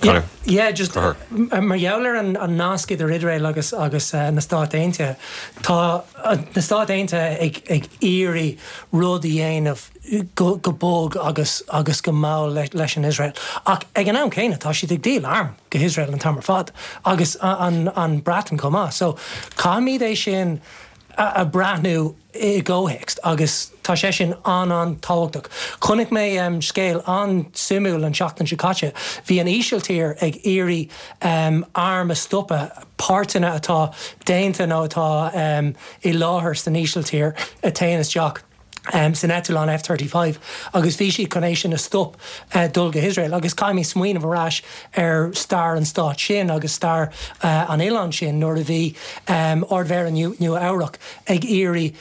Conor. Yeah, just mar gheall ar an nasc idir Iosrael agus agus na Stáit Aontaithe, tá na Stáit Aontaithe ag ag iarraidh rud a dhéanamh go go bog agus agus go mall leis an Iosrael. Ach ag an am céanna tá siad ag díol arm go hIosrael an t-am ar fad agus an an Breatain chomh maith. So caithfimid é sin a breathnú i gcomhthéacs agus tá sé sin an-an-tábhachtach. Chonaic mé scéal an-suimiúil an tseachtain seo caite. Bhí an Ísiltír ag iarraidh arm a stopadh, páirteanna atá déanta nó atá i láthair san Ísiltír a théann isteach san eitleán F-35 agus bhí siad chun é sin a stop dul go hIosrael agus caithfimid smaoineamh ar ais ar stair an stáit sin agus stair an oileáin sin nuair a bhí Ard-Mhéara Nua Eabhrac ag iarraidh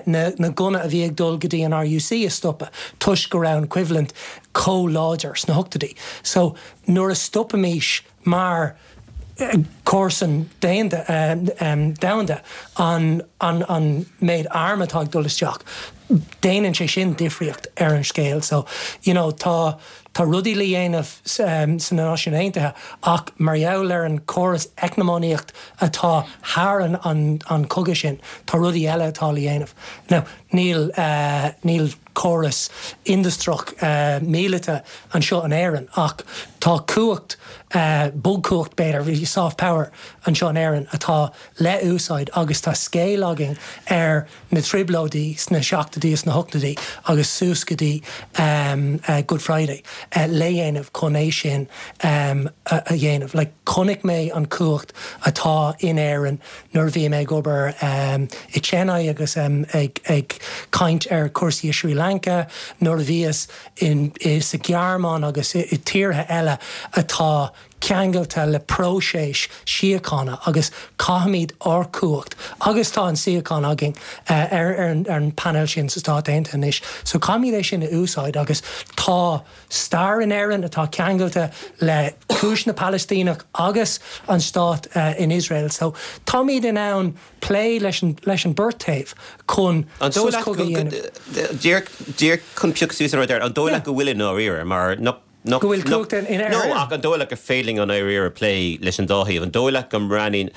na gunna a bhí ag dul go dtí an RUC a stopadh toisc go raibh an choimhlint chomh láidir sna hochtóidí. So nuair a stopaimís mar comharsan domhanda an an méid arm atá ag dul isteach, déanann sé sin difríocht ar an scéal. So, you know, tá tá rudaí le dhéanamh sna Náisiúin Aontaithe ach mar gheall ar an córas eacnamaíocht atá thar an an cogadh sin, tá rudaí eile atá le dhéanamh. Now, níl níl córas industreach míleata anseo in Éirinn ach tá cumhacht, bogchumhacht b'fhéidir, soft power anseo in Éirinn atá le úsáid agus tá scéal againn ar na trioblóidí sna seachtóidí is na hochtóidí agus suas go dtí Good Friday le dhéanamh chun é sin a dhéanamh. Like chonaic mé an cumhacht atá in Éirinn nuair a bhí mé ag obair i Chennai agus ag caint ar chúrsaí i Sri Lanka, nuair a bhíos in sa Ghearmáin agus i tíortha eile atá. ceangailte le próiseas síochána agus caithfimid ár cumhacht, agus tá an suíochán againn ar an bpainéal sin sa Stát Aontaithe anois, so caithfimid é sin a úsáid agus tá stair in Éirinn atá ceangailte le cúis na Palaistíneach agus an stát in Iosrael so táimid in ann plé leis an leis an beirt taobh chun An dóigh sos leat cogaidh a dhéanamh. Díreach chun piocadh suas an rud ar, an dóigh leat go bhfuil i ndáiríre mar nach Go bhfuil cumhacht in Éirinn? No, ach an dóigh leat gur féidir linn i ndáiríre plé leis an dá thaobh? An dóigh leat go mbreathnaíonn,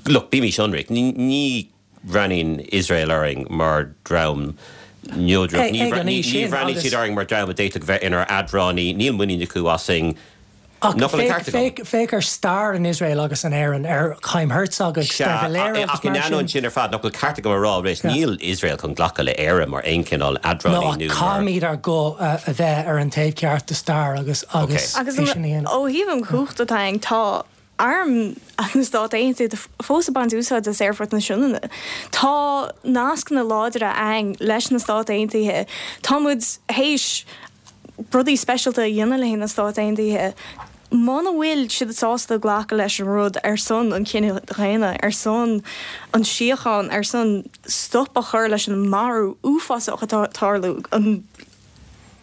look, bímís ionraic, ní bhreathnaíonn Iosrael orainn mar dhream neodrach, ní bhreathnaíonn siad orainn mar dhream a d'fhéadfadh bheith inár eadránaí, níl muinín acu asainn. Ach féach ar stair in Iosrael agus in Éirinn, ar Chaim Herzog agus Sea, De Valera ach agus in mar ainneoin sin. sin ar fad, nach bhfuil ceart agam a rá arís, níl Iosrael chun glacadh le Éire mar aon chineál No, eadránaí ach nó mar. caithfimid ár guth a bheith ar an taobh ceart de stair agus agus Agus é sin a dhéanamh. ó thaobh an chumhacht atá ann, tá arm na Stát Aontaithe fós ag baint úsáid as Aerfort na Sionainne. Tá nascanna láidre ann leis na Stáit Aontaithe. Tá muid théis rudaí speisialta a dhéanamh le na Stáit Aontaithe, muna bhfuil siad sásta glacadh leis an rud ar son an chine dhaonna, ar son an síocháin, ar son stop a chur leis an marú uafásach atá ag tarlú, an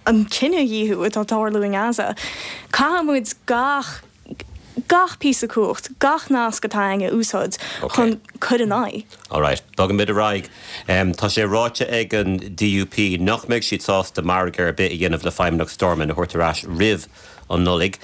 an cinedhíothú atá ag tarlú i nGaza, caithfidh muid gach gach píosa cumhacht, gach nasc atá againn a úsáid chun cur in aghaidh. Alright, bogfaimid ar aghaidh. Tá sé ráite ag an DUP nach mbeidh siad sásta margadh ar bith a dhéanamh le Feidhmeannacht Stormont a thabhairt ar ais roimh an Nollaig.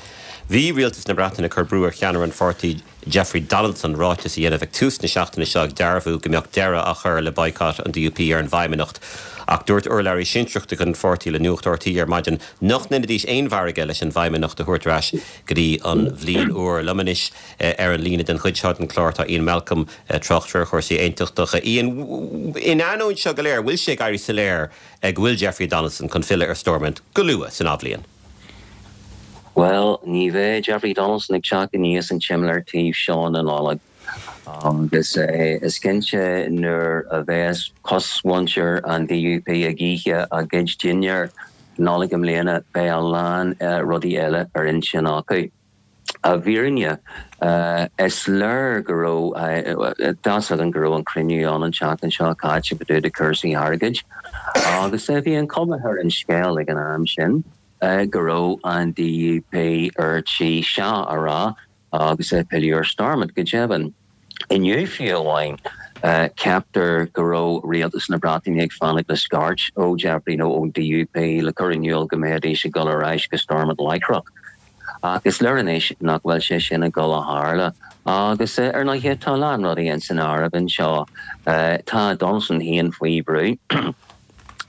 Bhí Rialtas na Breataine ag cur brú ar cheannaire an pháirtí Jeffrey Donaldson ráiteas a dhéanamh ag tús na seachtaine seo ag dearbhú go mbeadh deireadh á chur le boycott an DUP ar an bhFeidhmeannacht. Ach dúirt urlabhraí sinsearach de chuid an pháirtí le Nuacht RTÉ ar maidin nach ndéanfaidís aon mhargadh leis an bhFeidhmeannacht a thabhairt ar ais go dtí an bhliain úr. Liom anois ar an líne den chuid seo den chlár tá Ian Malcolm, tráchtaire ar chúrsaí aontachtacha. Ian, in ainneoin seo go léir, bhfuil sé ag éirí soiléir go bhfuil Jeffrey Donaldson chun filleadh ar Stormont go luath san athbhliain? Bhuel, ní bheidh Jeffrey Donaldson ag teacht aníos an tsimléar taobh seo na Nollag. Agus is cinnte nuair a bheas cosmhuintir an DUP ag ithe a gcuid dinnéar Nollag i mbliana beidh a lán rudaí eile ar intinn acu. I bhfírinne, is léir go raibh, tá's againn go raibh an cruinniú ann an tseachtain seo caite fá dtaobh de cúrsaí airgid agus bhí an chuma ar an scéal ag an am sin go raibh an DUP ar tí sea a rá agus pilleadh ar Stormont, go deimhin. Inniu fiú amháin, ceaptar go raibh rialtas na Breataine ag fanacht le scairt ó Jeffrey nó ón DUP le cur in iúl go mbeidís ag dul ar ais go Stormont láithreach. Ach is léir anois nach bhfuil sé sin ag dul a tharla. Agus ar ndóighe, tá a lán rudaí ins an áireamh anseo. Tá Donaldson féin faoi bhrú.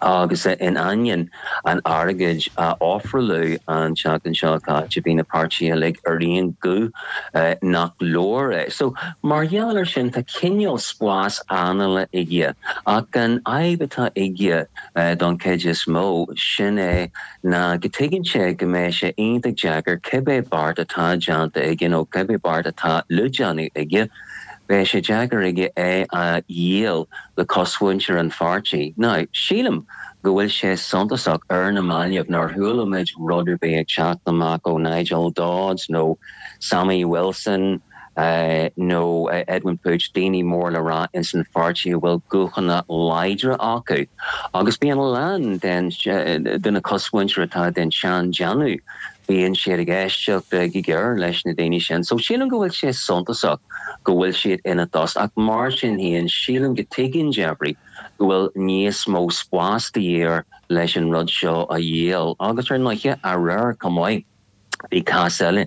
Agus in ainneoin an airgid a ofráladh an tseachtain seo caite, bhí na páirtithe uilig ar aon ghuth nach leor é. So, mar gheall air sin, tá cineál spás anála aige. Ach an fhadhb atá aige don chuid is mó, sin é ná go dtuigeann sé go mbeidh sé iontach deacair cibé beart atá déanta aige nó cibé beart atá le déanamh aige, Beidh sé deacair aige é a dhíol le cosmhuintir an pháirtí. Now, sílim go bhfuil sé suntasach ar na mallaibh nár chuala muid rud ar bith ag teacht amach ó Nigel Dodds nó Sammy Wilson nó Edwin Poots, daoine mór le rá ins an pháirtí a bhfuil guthanna láidre acu. Agus bíonn a lán den de na cosmhuintir atá den tsean-déanamh. Bíonn siad ag éisteacht go géar leis na daoine sin. So sílim go bhfuil sé suntasach go bhfuil siad ina dtost ach mar sin féin sílim go tuigeann Jeffrey go bhfuil níos mó spás de dhíth air leis an rud seo a dhíol. Agus ar ndóighe aréir chomh maith bhí cás eile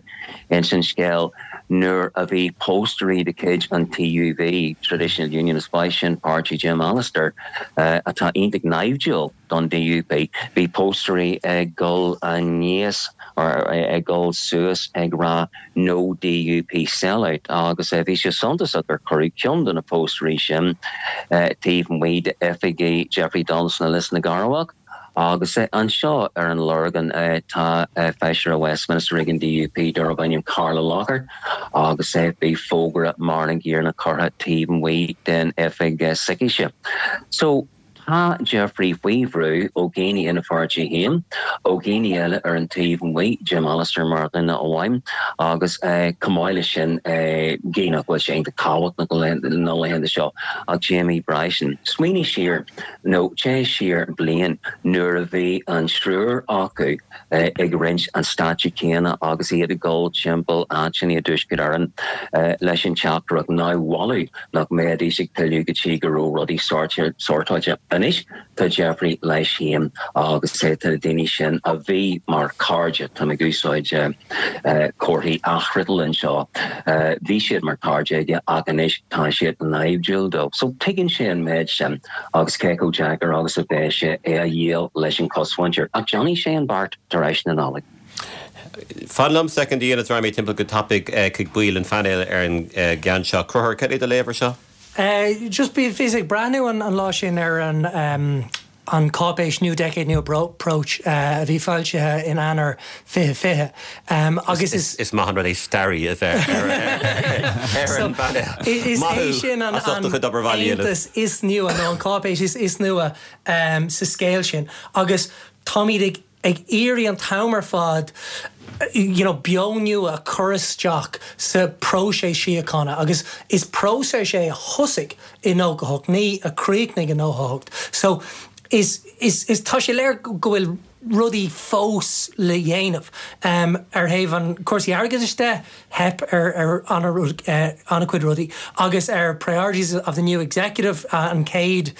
ins an scéal nuair a bhí póstairí de chuid an TUV, Traditional Unionist Voice, sin páirtí Jim Allister, atá iontach naimhdiúil. don DUP. Bhí póstairí ag dul aníos or ag dul suas ag rá 'No DUP Sellout' agus bhí sé suntasach gur cuireadh ceann de na póstairí sin taobh amuigh d'oifigí Jeffrey Donaldson i Lios na gCearrbhach agus anseo ar an Lorgain tá Feisire Westminster ag an DUP darb ainm Carla Lockhart agus bhí fógra mar an gcéanna curtha taobh amuigh den oifig s'aicise. So. Tá Jeffrey faoi bhrú ó dhaoine ina pháirtí féin, ó dhaoine eile ar an taobh amuigh, Jim Allister mar dhuine amháin, agus chomh maith leis sin, gidh nach bhfuil sé iontach tábhachtach na laethanta seo, ach Jamie Bryson. Smaoinigh siar, nó téigh siar bliain, nuair a bhí an triúr acu ag roinnt an stáitse céanna agus iad ag dul timpeall áiteanna i dTuaisceart Éireann leis an teachtaireacht nár mholadh nach mbeidís ag pilleadh go dtí go raibh rudaí sórtáilte. Anois tá Jeffrey leis féin agus tá na daoine sin a bhí mar chairde, táim ag úsáid comharthaí athfhriotail anseo, bhí siad mar chairde aige ach anois tá siad naimhdiúil dó. So tuigeann sé an méid sin agus cé chomh deacair agus a bheidh sé é a dhíol leis an chosmhuintir. Ach déanfaidh sé an beart tar éis na Nollag. Fan liom soicind a Iain is raghaidh mé timpeall go tapaidh chuig baill an phainéil ar an gceann seo. Conchúr, cad é do léamh ar seo? Just bhíos ag breathnú an lá sin ar an an cáipéis New Decade New Approach a bhí foilsithe in Eanáir 2020 agus is. Is maith an rud é staraí a bheith ar an bpainéal. Is é sin an aontas is nua nó an cáipéis is nua sa scéal sin agus táimid ag ag iarraidh an t-am ar fad you know beo nua a chur isteach sa próiseas síochána agus is próiseas é a thosaigh i 98, ní a chríochnaigh i 98. So is is is tá sé léir go bhfuil rudaí fós le dhéanamh. Ar thaobh an cúrsaí airgeadais de, theip ar ar an-chuid rudaí agus ar priorities of the new executive an chéad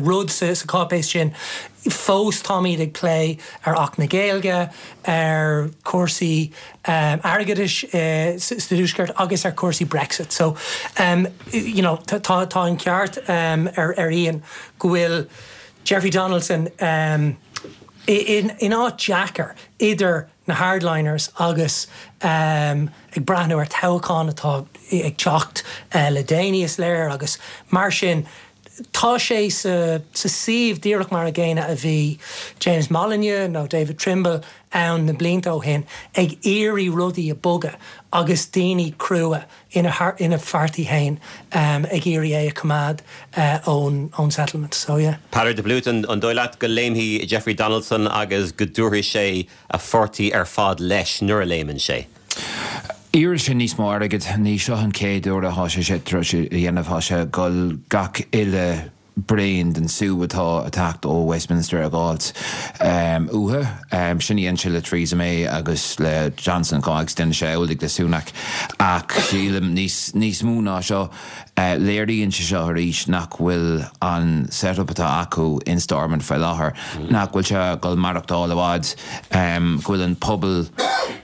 rud sa cháipéis sin. Fós táimid ag plé ar Acht na Gaeilge, ar chúrsaí airgeadais sa Tuaisceart agus ar chúrsaí Brexit. So, you know, tá an ceart ar Ian go bhfuil Jeffrey Donaldson in áit deacair idir na hardliners agus ag breathnú ar toghchán atá ag teacht le déanaí, is léir, agus mar sin tá sé sa suíomh díreach mar a gcéanna a bhí James Molyneux nó David Trimble ann na blianta ó shin, ag iarraidh rudaí a bogadh agus daoine crua ina pháirtí féin ag iarraidh é a choimeád ón settlement. So yeah. Peadar de Blúit, an dóigh leat go léimfidh Jeffrey Donaldson agus go dtabharfaidh sé a pháirtí ar fad leis nuair a léimeann sé? Iarrfaidh sé níos mó airgid. Ní seo an chéad uair atá sé sé tar éis a dhéanamh. Tá sé ag dul gach uile braon den sú atá ag teacht ó Westminster a dh'fháilt uathu. Sin a dhein sé le Theresa May agus le Johnson chomh maith agus déanfaidh sé amhlaidh le Sunak. Ach sílim níos níos mó ná seo, léiríonn sé seo arís nach bhfuil an set-up atá acu in Stormont faoi láthair, nach bhfuil sé ag dul maireachtáil i bhfad, go bhfuil an pobal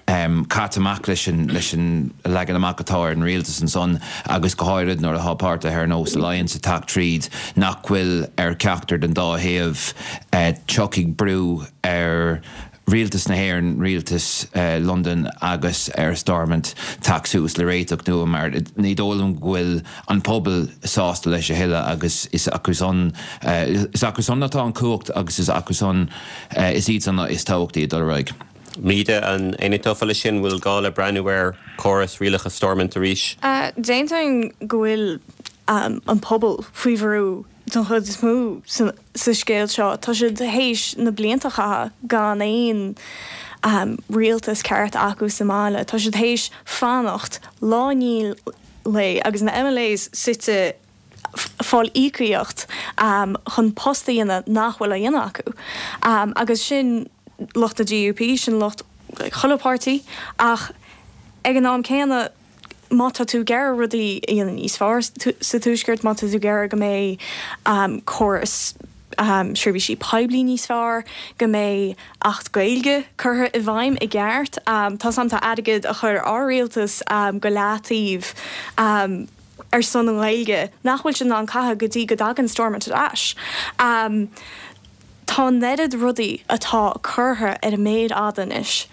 caite amach leis an leis an leagan amach atá ar an rialtas ansan agus go háirid nuair atá páirtithe ar nós Alliance ag teacht tríd nach bhfuil ar cheachtar den dá thaobh tiocfaidh brú ar Rialtas na hÉireann, Rialtas Londain agus ar Stormont teacht suas le réiteach nua mar ní dóigh liom go bhfuil an pobal sásta leis a thuilleadh agus is acu san is acu san atá an chumhacht agus is acu san is iad san is tábhachtaí ag dul ar aghaidh. Míde, an aontófá leis sin? Bhfuil gá le breathnú ar chóras rialacha Stormont arís? D'aontóinn go bhfuil an pobal faoi bhrú don chuid is mó sa scéal seo. Tá siad théis na blianta a chaitheamh gan aon rialtas ceart acu sa mbaile. Tá siad théis fanacht lá i ndiaidh lae agus na MLAs suite fáil íocaíocht chun post a dhéanamh nach bhfuil á dhéanamh acu. Agus sin lucht na DUP, sin lucht chuile páirtí ach ag an am céanna má tá tú ag iarraidh rudaí a dhéanamh níos fearr sa Tuaisceart, má tá tú ag iarraidh go mbeidh córas seirbhísí poiblí níos fearr, go mbeidh Acht Gaeilge curtha i bhfeidhm i gceart, tá's a'm tá airgead a chuir ár rialtas go leataobh ar son na Gaeilge nach bhfuil siad in ann caitheamh go dtí go dtagann Stormont ar ais. Tá an oiread rudaí atá curtha ar an méar fhada anois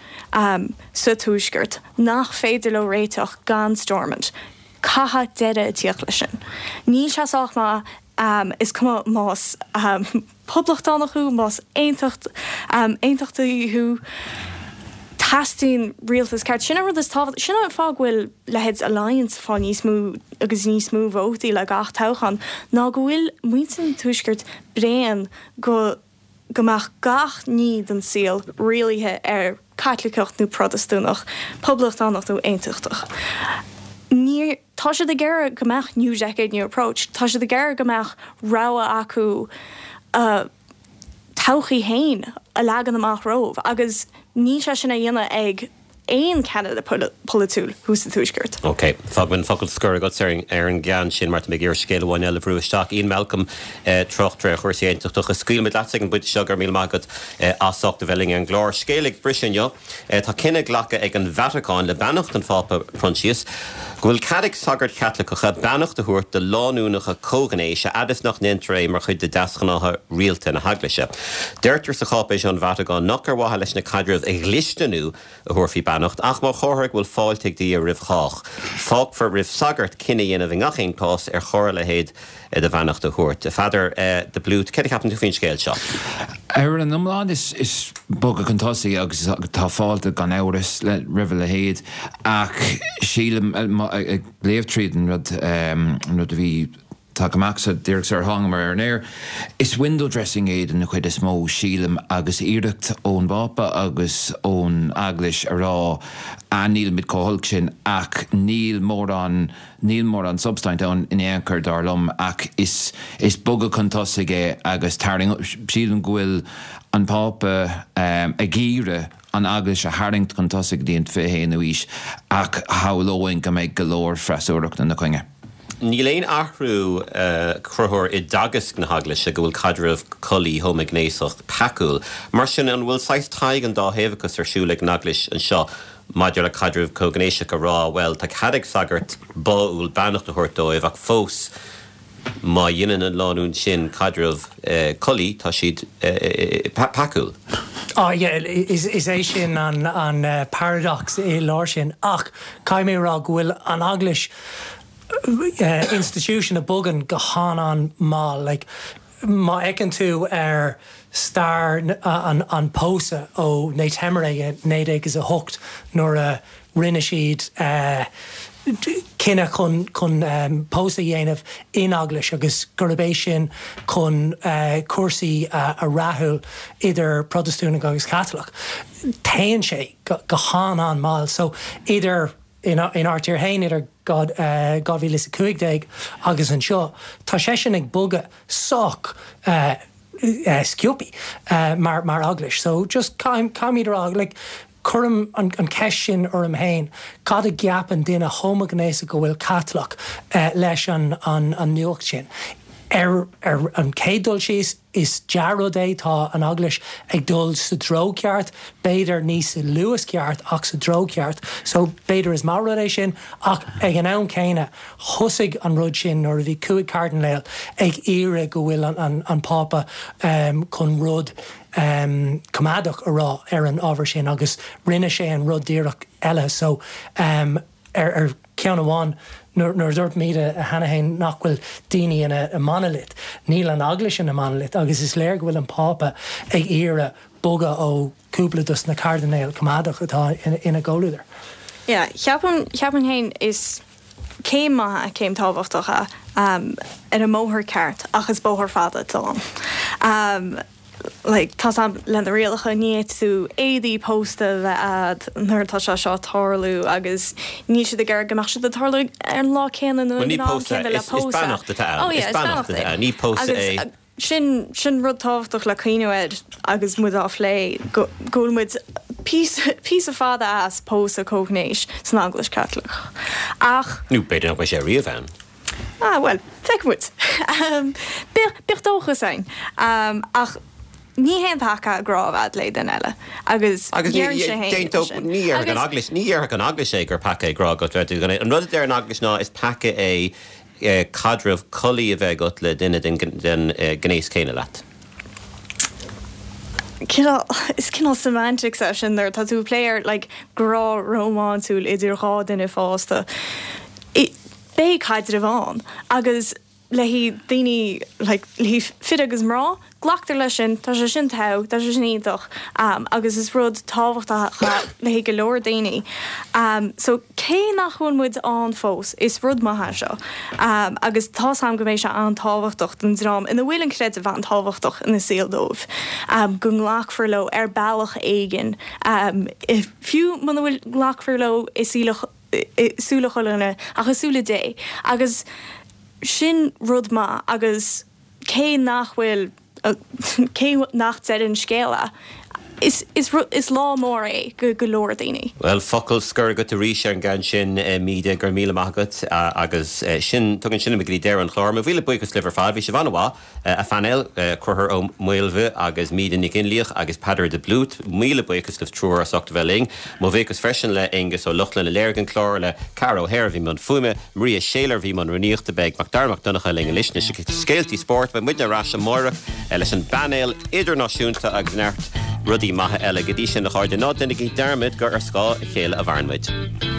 sa Tuaisceart nach féidir leo réiteach gan Stormont. Caithfidh deireadh a tíocht leis sin. Níl sé sách maith, is cuma más poblachtánach thú, más aontachtaí thú. Teastaíonn rialtas ceart. Sin an rud is tábhachtaí. Sin an fáth go bhfuil leithéid Alliance ag fáil níos mó agus níos mó vótaí le gach toghchán, ná go bhfuil muintir an Tuaiscirt bréan go go mbeadh gach ní den saol rialaithe ar Caitliceach nó Protastúnach, Poblachtánach nó Aontachtach. Ní, tá siad ag iarraidh go mbeadh New Decade, New Approach, tá siad ag iarraidh go mbeadh rogha acu a todhchaí féin a leagan amach rompu agus níl sé sin á dhéanamh ag aon cheannaire polaitiúil thuas sa Tuaisceart. Ok. Fágfaidh mé an focal scoir agat ar an gceann sin mar tá mé ag iarraidh scéal amháin eile a bhrú isteach. Ian Malcolm, tráchtaire ar chúrsaí aontachtacha. Scaoilfimid leatsa ag an bpointe seo, go raibh míle maith agat as ucht a bheith linn ar an gclár. Scéal ag briseadh inniu. Tá cinneadh glactha ag an Vatacáin, le beannacht an Phápa Proinsias, go bhfuil cead ag sagairt Chaitliceacha beannacht a thabhairt do lánúineacha comhghnéis a fhad is nach ndéantar é mar chuid de deasghnátha rialta na hEaglaise. Deirtear sa cháipéis ón Vatacáin nach ar mhaithe leis na caidrimh a dhlisteanú a thabharfaí beannacht ach mar chomhartha go bhfuil fáilte ag Dia roimh chách. Fágfar roimh sagart cinneadh a dhéanamh i ngach aon chás ar chóir a leithéid de bheannacht a thabhairt. A Pheadair de Blút, céard a cheapann tú faoin scéal seo? Ar an iomlán is bogadh chun tosaigh agus tá fáilte gan amhras roimh a leithéid ach sílim, ag léamh tríd an rud, an rud a bhí tagtha amach sa díreach sar thángamar ar an aer, is window dressing é den chuid is mó, sílim, agus iarracht ón bPápa agus ón Eaglais a rá, ah nílimid chomh holc sin ach níl mórán Níl mórán substaint ann in aon chor, dar liom, ach is is bogadh chun tosaigh é agus tarraing, sílim go bhfuil an Pápa ag iarraidh an Eaglais a tharraingt chun tosaigh go dtí an 21ú aois ach shamhlóinn go mbeidh go leor freasúrachta ina choinne. Níl aon athrú, a Chonchúir, i dteagasc na hEaglaise go bhfuil caidreamh collaí homaighnéasach peacúil. Mar sin, an bhfuil saghas tadhg an dá thaobhachas ar siúl ag an Eaglais anseo? maidir le caidreamh comhghnéiseach a rá, bhuel, tá cead ag sagart báúil beannacht a thabhairt dóibh ach fós má dheineann an lánúin sin caidreamh collaí, tá siad peacúil. Ah yeah, is é sin an paradox i lár sin ach caithfidh mé a rá go bhfuil an Eaglais, institution a bogann go han-an-mall, like, Má fheiceann tú ar stair an pósadh ó Ne Temere i 1908 nuair a rinne siad cinneadh chun chun pósadh a dhéanamh in eaglais agus gurb é sin chun cúrsaí a rathú idir Protastúnaigh agus Caitliceach, téann sé go han-an-mall. So idir. Inár dtír féin idir 2015 agus anseo, tá seisean ag bogadh sách sciobtha mar eaglais. So just caithfimid a rá, like, cuirim an cheist sin orm féin, cad a cheapann duine homaighnéasach go bhfuil Caitliceach leis an nuacht sin? Ar an chéad dul síos, Is dea-rud é, tá an Eaglais ag dul sa treo ceart, b'fhéidir ní sa luas ceart ach sa treo ceart, so b'fhéidir is maith rud é sin ach ag an am céanna thosaigh an rud sin nuair a bhí 5 cairdinéal ag iarraidh go bhfuil an Pápa chun rud coimeádach a rá ar an ábhar sin agus rinne sé an rud díreach eile so Ar cheann amháin, nuair a dúirt Míde cheana féin nach bhfuil daoine ina monolith, níl an Eaglais ina monolith agus is léir go bhfuil an Pápa ag iarraidh bogadh ó cúpla dos na cairdinéil coimeádach atá ina gcomhluadar. Yeah, cheapaim, cheapaim féin is céim maith é, céim tábhachtach é ar an mbóthar ceart ach is bóthar fada atá ann. Like, tá's a'm, le na rialacha, ní fhéadfaidh tú éadaí pósta a bheith a'd nuair atá sé seo ag tarlú agus níl siad ag iarraidh go mbeadh siad ag tarlú ar an lá céanna nó Bhuel, ag ní an am pósadh, céanna le is, is pósadh. beannacht atá ann, Oh yeah, is is beannacht beannacht atá é. ann, ní pósadh Agus é. sin, sin rud tábhachtach le cuimhniú air agus muid á phlé, go, go bhfuil muid píosa, píosa fada as pósadh comhghnéis san Eaglais Chaitliceach. Ach. Nó b'fhéidir nach mbeidh sé riamh ann. Ah, bhuel, feicfidh muid. Bíodh, bíodh dóchas ann. Ach ní haon peaca grá a bheith a'd le duine eile. Agus Agus ní, deireann sé féin déantódh, sin. ní dhéarfadh an Agus. Eaglais, ní dhéarfadh an Eaglais é gur peaca é grá agat le duine. An rud a deir an Eaglais ná is peaca é caidreamh collaí a bheith agat le duine den, den ghnéas céanna leat. Cineál, is cineál semantics é sin nuair atá tú ag plé ar like grá rómánsúil idir dhá duine fásta. Beidh caidreamh ann agus le haghaidh daoine like le haghaidh fir agus mná. Glactar leis sin, tá sé sin togha, tá sé sin iontach agus is rud tábhachtach le haghaidh go leor daoine. So cé nach bhfuil muid ann fós, is rud maith é seo agus tá's a'm go mbeidh sé an-tábhachtach don dream ina bhfuil an creideamh an-tábhachtach ina saol dóibh, go nglacfar leo ar bealach éigin, fiú muna bhfuil nglacfar leo i súile chuile dhuine ach i súile Dé agus sin rud maith agus. cé nach bhfuil, cé nach deireadh an scéil é, is, is, is lá mór é go go leor daoine. Bhuel, focal scoir agat arís ar an gceann sin, Míde, go raibh míle maith agat agus sin, tugann sin muid go dtí deireadh an chláir. Mo mhíle buíochas libh ar fad, bhí sibh an-mhaith, a phainéal, Conchúr Ó Maolmhaidh agus Míde Nic Fhionnlaoich agus Peadar de Blút, míle buíochas libh triúr as ucht a bheith linn. Mo bhuíochas freisin le Aengus Ó Lochlainn a léirigh an clár, le Ceara O'Hare a bhí i mbun fuaime, Maria Shayler a bhí i mbun rúnaíochta. Beidh Macdara Mac Donncha linn anois le scéaltaí spóirt. Beidh muidne ar ais amárach leis an bpainéal idirnáisiúnta agus neart rudaí maithe eile. Go dtí sin, a chairde, ná déanaigí dearmad gur ar scáth a chéile a mhaireann muid.